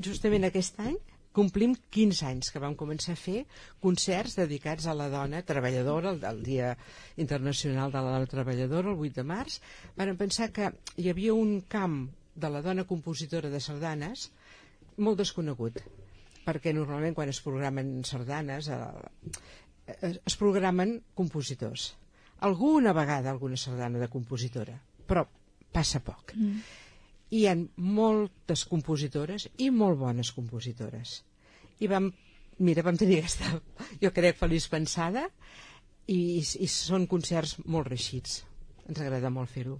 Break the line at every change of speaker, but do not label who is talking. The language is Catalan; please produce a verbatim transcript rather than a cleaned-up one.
justament aquest any complim quinze anys que vam començar a fer concerts dedicats a la dona treballadora, el, el Dia Internacional de la Dona Treballadora, el vuit de març. Vam pensar que hi havia un camp de la dona compositora de sardanes molt desconegut, perquè normalment quan es programen sardanes eh, es programen compositors. Alguna vegada alguna sardana de compositora, però passa poc. Mm. Hi ha moltes compositores i molt bones compositores. I vam, mira, vam tenir aquesta, jo crec, feliç pensada, i, i són concerts molt reeixits. Ens agrada molt fer-ho.